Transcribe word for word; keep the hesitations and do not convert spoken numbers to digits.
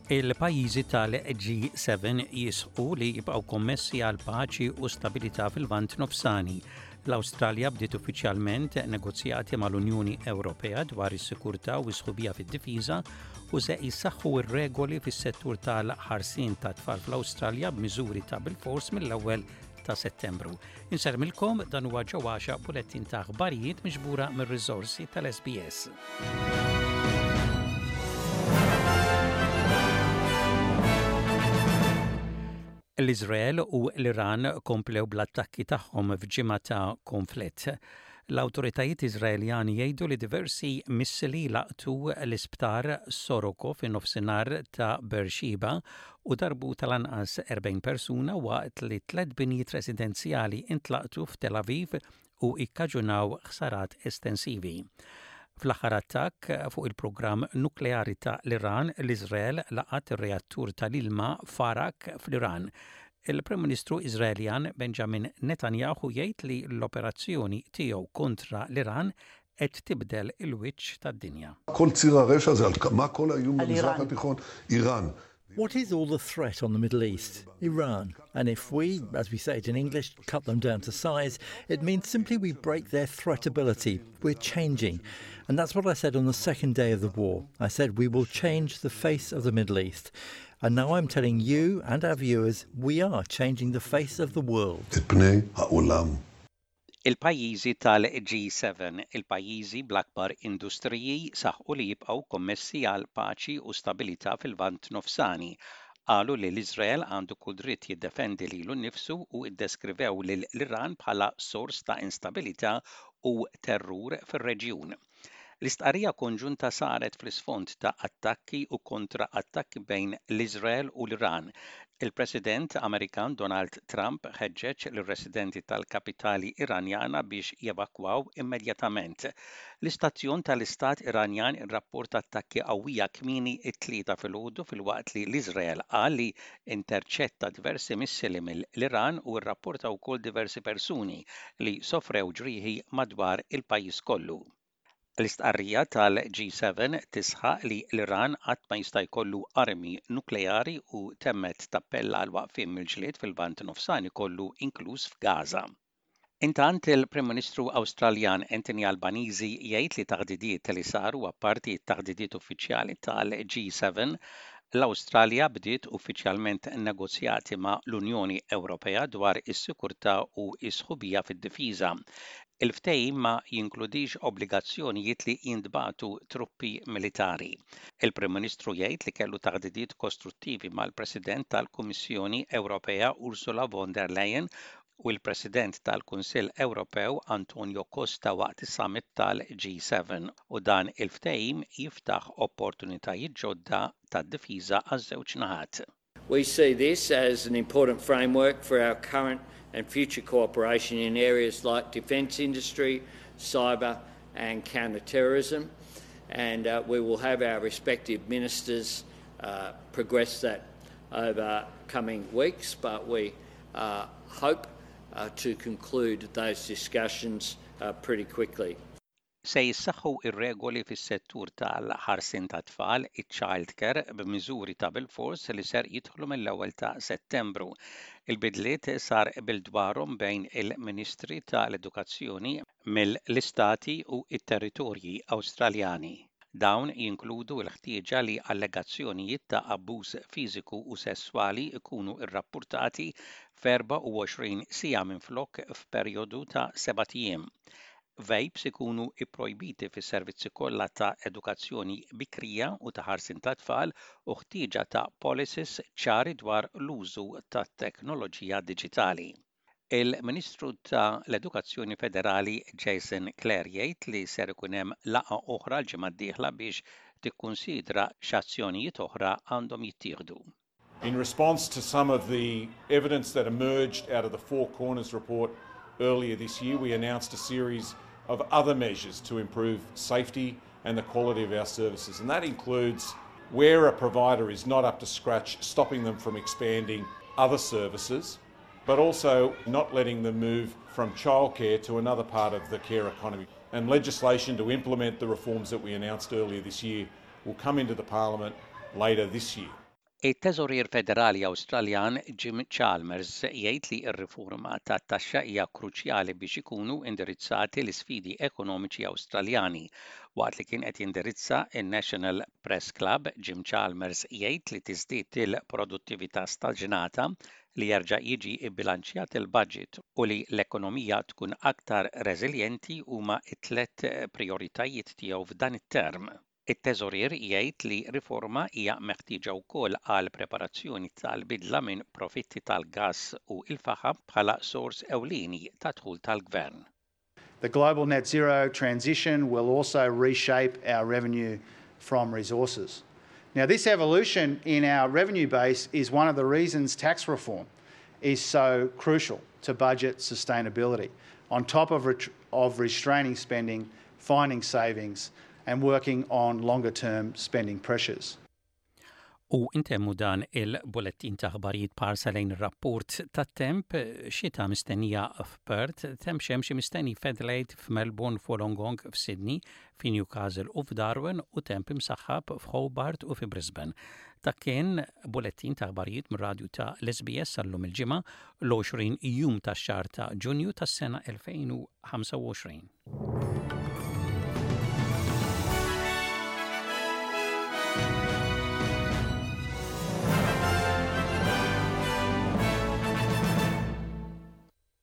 Il-pajjiżi tal-G seba jisħqu li jibqgħu kommessi għal paċi u stabilità fil-Lvant Nofsani. L-Awstralja bdiet uffiċjalment negozjati mal-Unjoni Ewropea dwar is-sikurtà u s-sħubija fid-difiża u se jissaħħu r-regoli fis-settur tal-ħarsien ta' tfal fl-Awstralja b'miżuri ta' bilfors mill-ewwel ta' Settembru. Insellmilkom, dan huwa ġewwaxa bulettin ta' aħbarijiet miġbura mir-riżorsi tal-S B S. L-Izrael u l-Iran komplew bl-attakki tagħhom f'ġimgħa ta' konflitt. L-awtoritajiet Iżraeljani jgħidu li diversi missili laqtu l-isptar Soroka fin nofsinhar ta' Beersheba u darbu tal-anqas erbgħin persuna, waqt li tliet binjiet residenzjali intlaqtu f'Tel Aviv u ikkaġunaw ħsarat estensivi. Fl-aħħar attakk fuq il-programm nukleari ta' l-Iran, l-Iżrael laqat ir-reattur tal-ilma f'Arak fl-Iran. Il-Prim Ministru Iżraeljan Benjamin Netanyahu jgħid li l-operazzjoni tiegħu kontra l-Iran qed tibdel il-wiċċ tad-dinja. איראן. What is all the threat on the Middle East? Iran. And if we, as we say it in English, cut them down to size, it means simply we break their threatability. We're changing. And that's what I said on the second day of the war. I said we will change the face of the Middle East. And now I'm telling you and our viewers, we are changing the face of the world. Il-pajjiżi tal-G seba, il-pajjiżi bl-akbar industriji, saħqu li jibqgħu kommessi għal paċi u stabilità fil-Lvant Nofsani. Qalu li l-Iżrael għandu kull dritt jiddefendi lilu nnifsu u iddeskrivew lil l-Iran bħala sors ta' instabilità u terrur fir-reġjun. L-istqarrija konġunta saret fl-isfond ta' attakki u kontra attakki bejn l-Iżrael u l-Iran. Il-President Amerikan Donald Trump ħeġġeġ lir-residenti tal-kapitali Iranjana biex jevakwaw immedjatament. L-istazzjon tal-Istat Iranjan irrapporta attakki qawwija kmieni it-Tlieta filgħodu, filwaqt li l-Iżrael qal li interċetta diversi missili mill-Iran u rrapporta wkoll diversi persuni li sofrew ġrieħi madwar il-pajjiż kollu. L-istqarrija tal-G seba tisħaq li l-Iran qatt ma jista' jkollu armi nukleari u temmet tappella għal waqfien mill-ġlied fil-Lvant Nofsani kollu, inkluż f'Gaza. Intant, il-Prim Ministru Awstraljan Anthony Albanese jgħid li taħdidiet li saru apparti t-taħdidiet uffiċjali tal-G seba, l-Awstralja bdiet uffiċjalment negozjati ma' l-Unjoni Ewropea dwar is-sikurtà u s-sħubija fid-difiża. Il-ftehim ma jinkludix obbligazzjonijiet li jintbagħtu truppi militari. Il-Prim Ministru jgħid li kellu taħdidiet kostruttivi mal-President tal-Kummissjoni Ewropea Ursula von der Leyen u l-President tal-Kunsill Ewropew Antonio Costa waqt is-summit tal-G seba, u dan il-ftehim jiftaħ opportunitajiet ġodda tad-difiża għaż-żewġ naħat. We see this as an important framework for our current and future cooperation in areas like defence industry, cyber and counter-terrorism, and uh, we will have our respective ministers uh, progress that over coming weeks, but we uh, hope uh, to conclude those discussions uh, pretty quickly. Se jissaħħu ir-regoli fis-settur tal-ħarsien ta' tfal, iċ-child care, b'miżuri ta' bilfors li ser jidħlu mill-ewwel ta' Settembru. Il-bidliet sar qbil dwarhom bejn il-Ministri tal-Edukazzjoni mill-Istati u it-Territorji Awstraljani. Dawn jinkludu l-ħtieġa li allegazzjonijiet ta' abbuż fiżiku u sesswali ikunu rrappurtati f'erbgħa u għoxrin siegħa minflok f'perjodu ta' sebat ijiem. Vapes ikunu ipprojbiti fis-servizzi kollha ta' edukazzjoni bikrija u ta' ħarsien ta' tfal u ħtieġa ta' policies ċari dwar l-użu ta' teknoloġija diġitali. Il-Ministru ta' l-Edukazzjoni Federali Jason Clare jgħid li ser ikun hemm laqgħa oħra l-ġimgħa d-dieħla biex tikkunsidra x'azzjonijiet oħra għandhom jittieħdu. In response to some of the evidence that emerged out of the Four Corners report earlier this year, we announced a series of other measures to improve safety and the quality of our services. And that includes, where a provider is not up to scratch, stopping them from expanding other services, but also not letting them move from childcare to another part of the care economy. And legislation to implement the reforms that we announced earlier this year will come into the Parliament later this year. It-Teżorier Federali Awstraljan Jim Chalmers jgħid li r-riforma tat-taxxa hija kruċjali biex ikunu indirizzati l-isfidi ekonomiċi Awstraljani. Waqt li kien qed jindirizza in-National Press Club, Jim Chalmers jgħid li tiżdied il-produttività staġnata, li jerġa' jiġi bbilanċjat il-budget u li l-ekonomija tkun aktar reżiljenti huma t-tlet prioritajiet tiegħu f'dan it-term. It-teżorier jgħid li riforma hija meħtieġa wkoll għal preparazzjoni tal-bidla minn profitti tal-gass u il-faħam bħala sors ewlieni ta' dħul tal-gvern. The global net zero transition will also reshape our revenue from resources. Now, this evolution in our revenue base is one of the reasons tax reform is so crucial to budget sustainability, on top of, of restraining spending, finding savings, and working on longer term spending pressures. U intemmu dan il-bulettin ta' aħbarijiet b'ħarsa lejn rapport ta' temp: xita mistennija f'Perth, temp xemxi mistenni f'Adelaide, f'Melbourne, f'Wollongong, f'Sydney, f'Newcastle u f'Darwin u temp imsaħħab f'Hobart u fi Brisbane. Dak kien bulettin ta' aħbarijiet mir-radju ta' l-S B S għal-lum il-Ġimgħa, l-għoxrin jum tax-xahar ta' Ġunju tas-sena elfejn u ħamsa u għoxrin.